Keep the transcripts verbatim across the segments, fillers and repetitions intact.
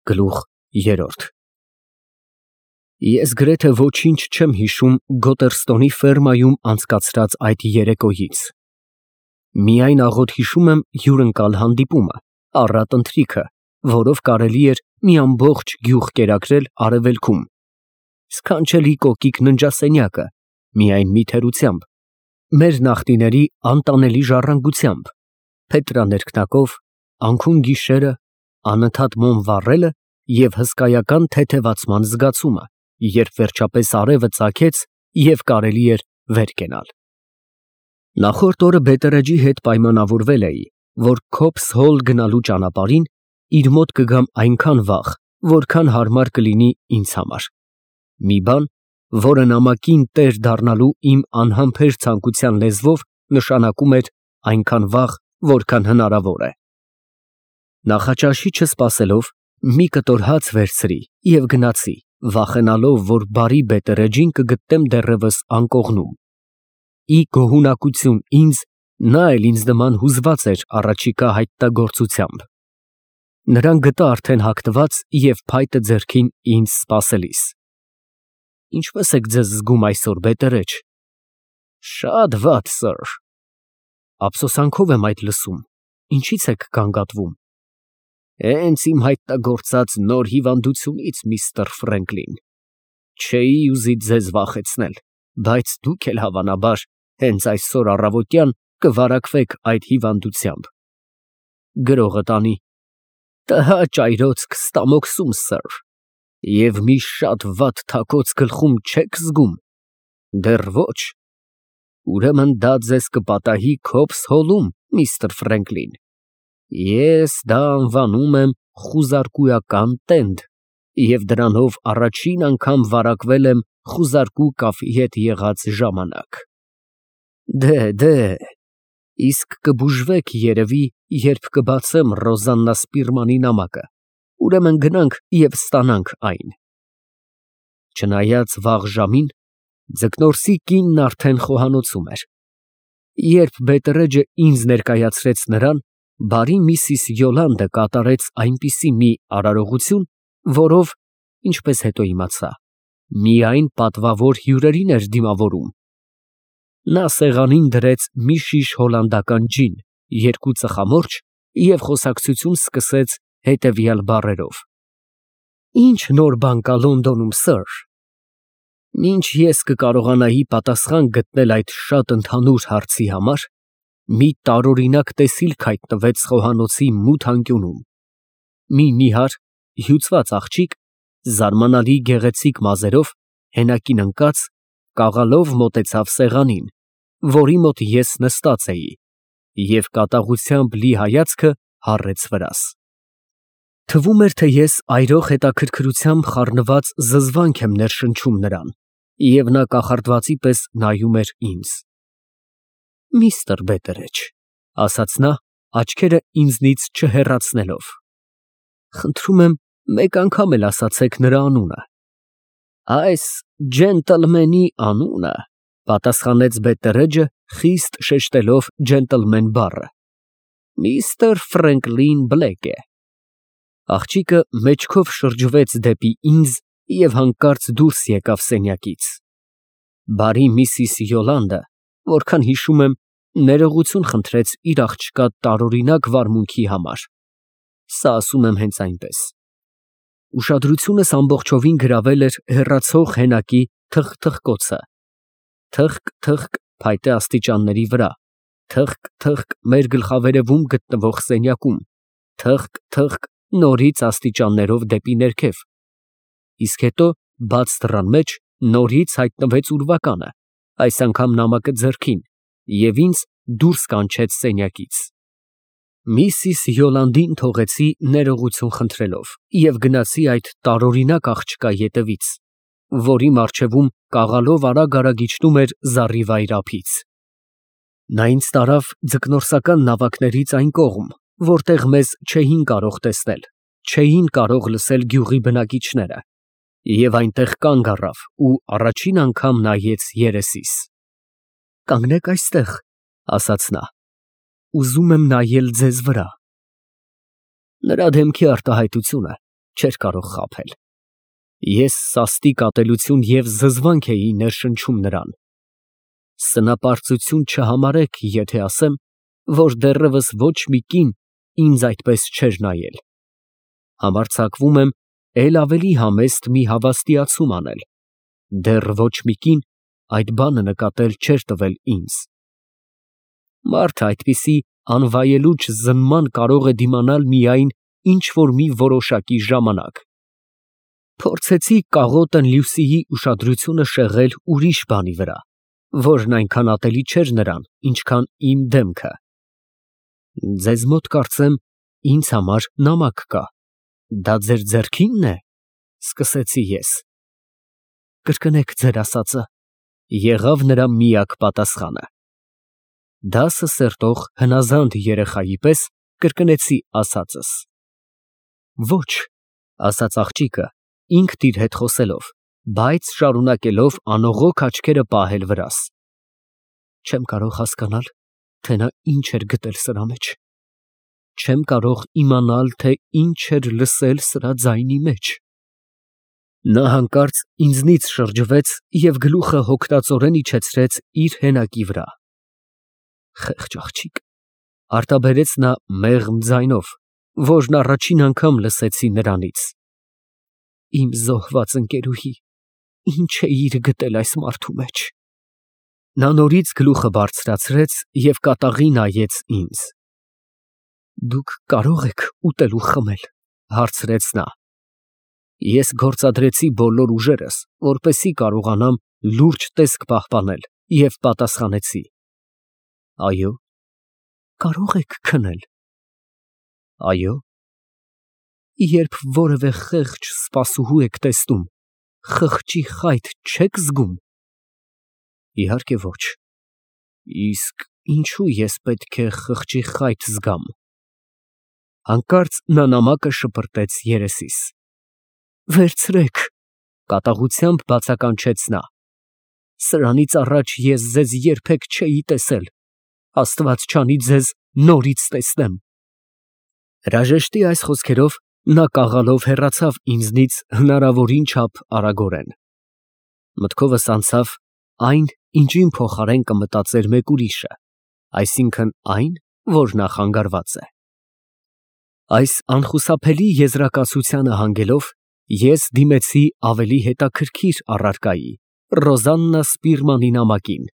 Գլուխ երրորդ Ես գրեթե ոչինչ չեմ հիշում Գոտերստոնի ֆերմայում անցկացրած այդ երեկոյից, միայն աղոտ հիշում եմ հյուրընկալ հանդիպումը, առատ ընթրիքը, որով կարելի էր մի ամբողջ գյուղ կերակրել արևելքում, սքանչելի կոկիկ ննջասենյակը, միայն մի թերությամբ, մեր նախնիների անտանելի ժառանգությամբ, փետրաներկնակով, անքուն գիշերը, անընդհատ մոմ վառելը և հսկայական թեթևացման զգացումը, երբ վերջապես արևը ծագեց և կարելի էր վեր կենալ։ Նախորդ օրը բետերեջի հետ պայմանավորվել էի, որ Քոփս Հոլ գնալու ճանապարհին իր մոտ կգամ այնքան վաղ, որքան հարմար կլինի ինձ համար, մի բան, որը նամակին տեր դառնալու իմ անհամբեր ցանկության լեզվով նշանակում էր այնքան վաղ, որքան հնարավոր է։ Նախաճաշի չսպասելով, մի կտոր հաց վերցրի և գնացի, վախենալով, որ բարի բետերեջին կգտնեմ դեռևս անկողնում։ Ի գոհունակություն ինձ, նա էլ ինձ նման հուզված էր առաջիկա հայտնագործությամբ։ Նրան գտա արդեն հագնված և փայտը ձեռքին ինձ սպասելիս։ Ինչպե՞ս եք ձեզ զգում այսօր, բետերեջ։ Շատ վատ, սըր։ Ափսոսանքով եմ այդ լսում, ինչի՞ց եք գանգատվում։ Հենց իմ հայտնագործած նոր հիվանդությունից, միստր Ֆրենկլին։ Չէի ուզի ձեզ վախեցնել, բայց դուք էլ հավանաբար հենց այսօր առավոտյան կվարակվեք այդ հիվանդությամբ։ Գրողը տանի։ Տհաճ այրոց կստամոքսում, սըր, և մի շատ վատ թակոց գլխում չեք զգում։ Դեռ ոչ։ Ուրեմն դա ձեզ կպատահի Քոփս Հոլում, միստր Ֆրենկլին։ Ես դա անվանում եմ խուզարկուական տենդ և դրանով առաջին անգամ վարակվել եմ խուզարկու կաֆի հետ եղած ժամանակ։ Դե, դե, իսկ կբուժվեք, երևի, երբ կբացեմ Ռոզաննա Սպիրմանի նամակը, ուրեմն գնանք և ստանանք այն։ Չնայած վաղ ժամին, Ձկնորսի կինն արդեն խոհանոցում էր։ Երբ բետերեջը ինձ ներկայացրեց նրան, բարի միսիս Յոլանդը կատարեց այնպիսի մի արարողություն, որով, ինչպես հետո իմացա, միայն պատվավոր հյուրերին էր դիմավորում։ Նա սեղանին դրեց մի շիշ հոլանդական ջին, երկու ծխամորճ և խոսակցություն սկսեց հետևյալ բառերով. Ինչ նոր բան կա Լոնդոնում, սըր։ Մինչ ես կկարողանայի պատասխան գտնել այդ շատ ընդհանուր հարցի համար, մի տարօրինակ տեսիլք հայտնվեց խոհանոցի մութ անկյունում։ Մի նիհար, հյուծված աղջիկ, զարմանալի գեղեցիկ մազերով, հենակին ընկած, կաղալով մոտեցավ սեղանին, որի մոտ ես նստած էի, և կատաղությամբ լի հայացքը հառեց վրաս։ Թվում էր, թե ես այրող հետաքրքրությամբ խառնված զզվանք եմ ներշնչում նրան, և նա կախարդվածի պես նայում էր ինձ։ Միստր Բետերեջ, ասաց նա, աչքերը ինձնից չհեռացնելով, խնդրում եմ, մեկ անգամ էլ ասացեք նրա անունը։ Այս ջենտլմենի անունը, պատասխանեց բետերեջը, խիստ շեշտելով ջենտլմեն բառը, միստր Ֆրենկլին Բլեկ է։ Աղջիկը մեջքով շրջվեց դեպի ինձ և հանկարծ դուրս եկավ սենյակից։ Բարի միսիս Յոլանդը, որքան հիշում եմ, ներողություն խնդրեց իր աղջկա տարօրինակ վարմունքի համար։ Սա ասում եմ հենց այնպես։ Ուշադրությունս ամբողջովին գրավել էր հեռացող հենակի թխկթխկոցը։ Թխկ, փայտե աստիճանների վրա, թխկ, մեր գլխավերևում գտնվող սենյակում, թխկ, նորից աստիճաններով դեպի ներքև։ Իսկ հետո բաց դռան մեջ նորից հայտնվեց ուրվականը, այս անգամ նամակը ձեռքին, և ինձ դուրս կանչեց սենյակից։ Միսիս Յոլանդին թողեցի ներողություն խնդրելով և գնացի այդ տարօրինակ աղջկա ետևից, որի մառչևում կաղալով արագ֊արագ իջնում էր զառիվայր ափից։ Նա ինձ տարավ ձկնորսական նավակներից այն կողմ, որտեղ մեզ չէին կարող տեսնել, չէին կարող լսել գյուղի բնակիչները, և այնտեղ կանգ առավ ու առաջին անգամ նայեց երեսիս։ Կանգնեք այստեղ, ասաց նա, ուզում եմ նայել ձեզ վրա։ Նրա դեմքի արտահայտությունը չէր կարող խաբել։ Ես սաստիկ ատելություն և զզվանք էի ներշնչում նրան։ Սնապարծություն չհամարեք, եթե ասեմ, որ դեռևս ոչ մի կին ինձ այդպես չէր նայել։ Համարձակվում եմ էլ ավելի համեստ մի հավաստիացում անել. դեռ ոչ մի կին այդ բանը նկատել չէր տվել ինձ։ Մարդը այդպիսի անվայելուչ զննման կարող է դիմանալ միայն ինչ֊որ մի որոշակի ժամանակ։ Փորձեցի կաղոտն Լյուսիի ուշադրությունը շեղել ուրիշ բանի վրա, որն այնքան ատելի չէր նրան, ինչքան իմ դեմքը։ Ձեզ մոտ, կարծեմ, ինձ համար նամակ կա, դա ձեր ձեռքի՞նն է, սկսեցի ես։ Կրկնեք ձեր ասածը, եղավ նրա միակ պատասխանը։ Դասը սերտող հնազանդ երեխայի պես կրկնեցի ասածս։ Ոչ, ասաց աղջիկը, ինքն իր հետ խոսելով, բայց շարունակելով անողոք աչքերը պահել վրաս։ Չեմ կարող հասկանալ, թե նա ինչ էր գտել սրա մեջ։ Չեմ կարող իմանալ, թե ինչ էր լսել սրա ձայնի մեջ։ Նա հանկարծ ինձնից շրջվեց և գլուխը հոգտածորեն իջեցրեց իր հենակի վրա։ Խեղճ աղջիկ, արտաբերեց նա մեղմ ձայնով, որն առաջին անգամ լսեցի նրանից։ Իմ զոհված ընկերուհի, ինչ էիր գտել այս մարդու մեջ։ Նա նորից գլուխը բարձրացրեց և կատաղի նայեց ինձ։ Դուք կարո՞ղ եք ուտել ու խմել, հարցրեց նա։ Ես գործադրեցի բոլոր ուժերս, որպեսզի կարողանամ լուրջ տեսք պահպանել, և պատասխանեցի. Այո։ Կարո՞ղ եք քնել։ Այո։ Երբ որևէ խեղճ սպասուհու եք տեսնում, խղճի խայտ չե՞ք զգում։ Իհարկե ոչ։ Իսկ ինչո՞ւ ես պետք է խղճի խայտ զգամ։ Հանկարծ նա նամակը շպրտեց երեսիս։ Վերցրեք, կատաղությամբ բացականչեց նա։ Սրանից առաջ ես ձեզ երբեք չէի տեսել, Աստված չանի ձեզ նորից տեսնեմ։ Հրաժեշտի այս խոսքերով նա կաղալով հեռացավ ինձնից հնարավորին չափ արագորեն։ Մտքովս անցավ այն, ինչին փոխարեն կմտածեր մեկ ուրիշը, այսինքն այն, որ նա խանգարված է։ Այս անխուսափելի եզրակացությանը հանգելով, ես դիմեցի ավելի հետաքրքիր առարկայի՝ Ռոզաննա Սպիրմանի նամակին,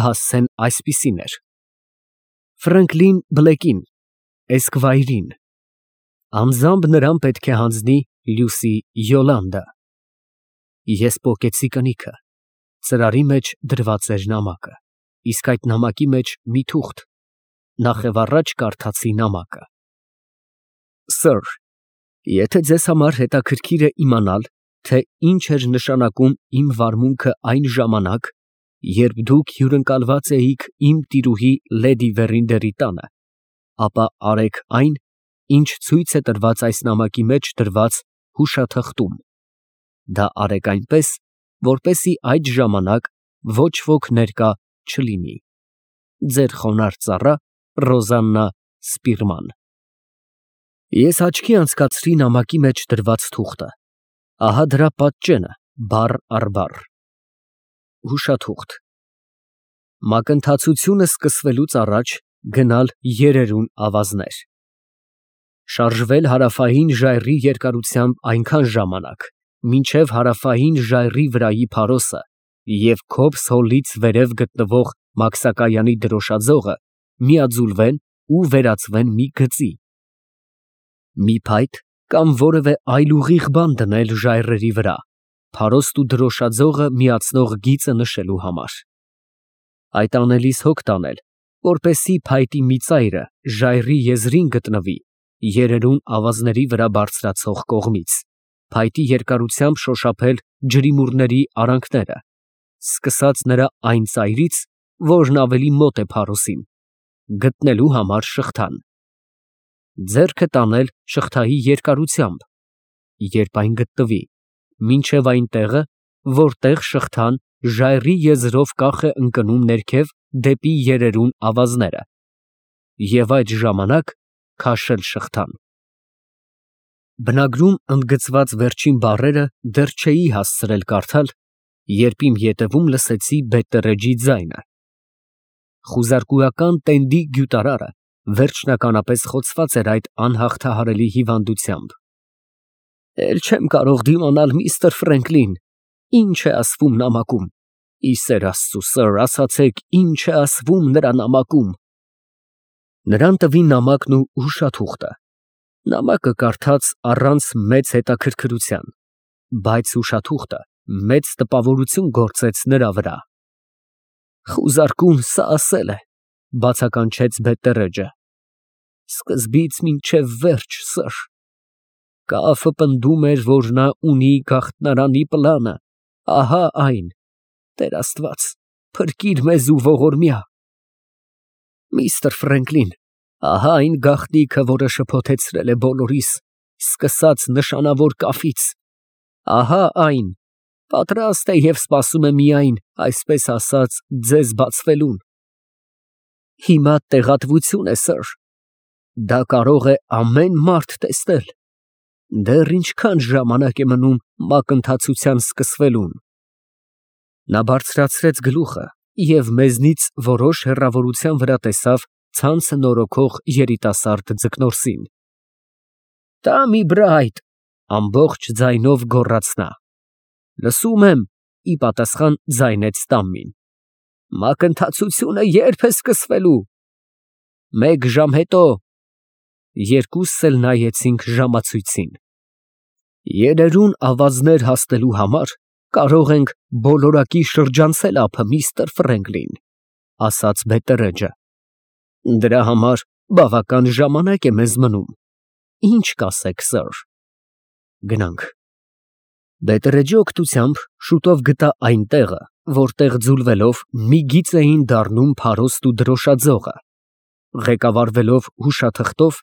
հասցեն այսպիսին էր. Ֆրանկլին Բլեկին, Էսկվայրին, անձամբ նրան պետք է հանձնի Լյուսի Յոլանդը։ Ես պոկեցի կնիքը, ծրարի մեջ դրված էր նամակը, իսկ այդ նամակի մեջ մի թուղթ, նախևառաջ կարդացի նամակը. Սըր, եթե ձեզ համար հետաքրքիր է իմանալ, թե ինչ էր նշանակում իմ վարմունքը այն ժամանակ, երբ դուք հյուրընկալված էիք իմ տիրուհի լեդի Վերինդերի տանը, ապա արեք այն, ինչ ցույց է տրված այս նամակի մեջ դրված հուշաթղթում։ Դա արեք այնպես, որպեսզի այդ ժամանակ ոչ ոք ներկա չլինի։ Ձեր խոնարհ ծառա Ռոզաննա Սպիրման։ Ես աչքի անցկացրի նամակի մեջ դրված թուղթը։ Ահա դրա պատճենը, բառ առ բառ։ Հուշաթուղթ. Մակընթացությունը սկսվելուց առաջ գնալ երերուն ավազներ։ Շարժվել հարավային ժայռի երկարությամբ այնքան ժամանակ, մինչև հարավային ժայռի վրայի փարոսը և Քոբս հոլից վերև գտնվող Մաքսակայանի դրոշաձողը միաձուլվեն ու վերածվեն մի գծի։ Մի փայտ կամ որևէ այլ ուղիղ բան դնել ժայռերի վրա, փարոստ ու դրոշաձողը միացնող գիծը նշելու համար։ Այդ անելիս հոգ տանել, որպեսզի փայտի մի ծայրը ժայռի եզրին գտնվի երերուն ավազների վրա բարձրացող կողմից, փայտի երկարությամբ շոշափել ջրիմուռների արանքները, սկսած նրա այն ծայրից, որն ավելի մոտ է փարոսին, գտնելու համար շղթան։ Ձեռքը տանել շղթայի երկարությամբ, երբ այն գտնվի, մինչև այն տեղը, որտեղ շղթան ժայռի եզրով կախ է ընկնում ներքև դեպի երերուն ավազները, և այդ ժամանակ քաշել շղթան։ բնագրում ընդգծված վերջին բառերը դեռ չէի հասցրել կարդալ, երբ իմ ետևում լսեցի բետեռեջի ձայնը։ Խուզարկուական տենդի գյուտարարը վերջնականապես խոցված էր այդ անհաղթահարելի հիվանդությամբ։ Էլ չեմ կարող դիմանալ, միստր Ֆրենկլին, ինչ է ասվում նամակում։ Ի սեր Աստծու, սըր, ասացեք, ինչ է ասվում նրա նամակում։ Նրան տվի նամակն ու հուշաթուղթը։ Նամակը կարդաց առանց մեծ հետաքրքրության, բայց հուշաթուղթը մեծ տպավորություն գործեց նրա վրա։ Խուզարկուն սա ասել է, բացականչեց Բետտերեջը։ Սկզբից մինչև վերջ, սըր։ Կաֆը պնդում էր, որ նա ունի գաղտնարանի պլանը, ահա այն, Տեր Աստված, փրկիր մեզ ու ողորմյա։ Միստր Ֆրենկլին, ահա այն գաղտնիքը, որը շփոթեցրել է բոլորիս, սկսած նշանավոր կաֆից, ահա այն, պատրաստ է և սպասում է միայն, այսպես ասած, ձեզ բացվելուն։ Հիմա տեղատվություն է, սըր, դա կարող է ամեն մարդ տեսնել։ Դեռ ինչքան ժամանակ է մնում մակընթացության սկսվելուն։ Նա բարձրացրեց գլուխը և մեզնից որոշ հեռավորության վրա տեսավ ցանցը նորոգող երիտասարդ ձկնորսին։ Տամի Բրայթ, ամբողջ ձայնով գոռաց նա։ Լսում եմ, ի պատասխան ձայնեց Տամմին։ Մակընթացությունը ե՞րբ է սկսվելու։ Մեկ ժամ հետո։ Երկուսս էլ նայեցինք ժամացույցին։ Երերուն ավազներ հասնելու համար կարող ենք բոլորակի շրջանցել ափը, միստր Ֆրենկլին, ասաց Բետտերեջը։ Դրա համար բավական ժամանակ է մեզ մնում։ Ինչ կասեք, սըր։ Գնանք։ Բետտերեջի օգնությամբ շուտով գտա այն տեղը, որտեղ ձուլվելով մի գիծ էին դառնում փարոստ ու դրոշաձողը։ Ղեկավարվելով հուշաթղթով,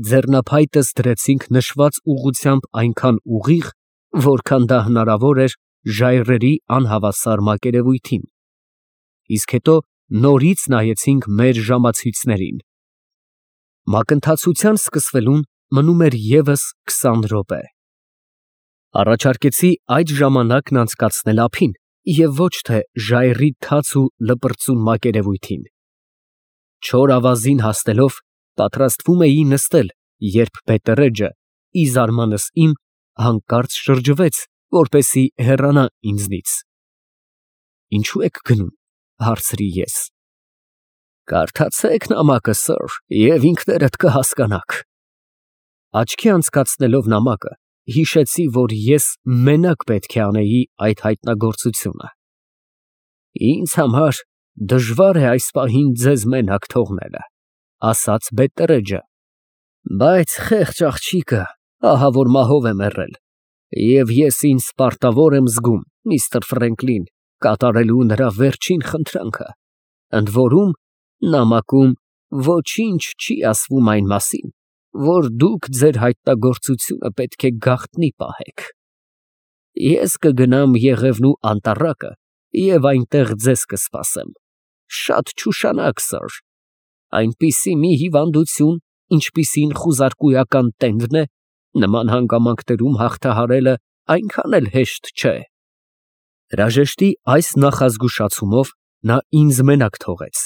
ձեռնափայտս դրեցինք նշված ուղղությամբ այնքան ուղիղ, որքան դա հնարավոր էր ժայռերի անհավասար մակերևույթին։ Իսկ հետո նորից նայեցինք մեր ժամացույցներին։ Մակընթացության սկսվելուն մնում էր ևս քսան րոպե։ Առաջարկեցի այդ ժամանակն անցկացնել ափին և ոչ թե ժայռի թաց ու լպրծուն մակերևույթին։ Չոր ավազին հասնելով, պատրաստվում էի նստել, երբ Բետտերեջը, ի զարմանս իմ, հանկարծ շրջվեց, որպեսզի հեռանա ինձնից։ Ինչո՞ւ եք գնում, հարցրի ես։ Կարդացեք նամակը, սըր, և ինքներդ կհասկանաք։ Աչքի անցկացնելով նամակը, հիշեցի, որ ես մենակ պետք է անեի այդ հայտնագործությունը։ Ինձ համար դժվար է այս պահին ձեզ մենակ թողնելը, ասաց Բետտերեջը, բայց խեղճ աղջիկը ահա որ մահով է մեռել, և ես ինձ պարտավոր եմ զգում, միստր Ֆրենկլին, կատարելու նրա վերջին խնդրանքը, ընդ որում նամակում ոչինչ չի ասվում այն մասին, որ դուք ձեր հայտնագործությունը պետք է գաղտնի պահեք։ Ես կգնամ Եղևնու անտառակը և այնտեղ ձեզ կսպասեմ։ Շատ չուշանաք, սըր, այնպիսի մի հիվանդություն, ինչպիսին խուզարկուական տենդն է, նման հանգամանքներում հաղթահարելը այնքան էլ հեշտ չէ։ Հրաժեշտի այս նախազգուշացումով նա ինձ մենակ թողեց։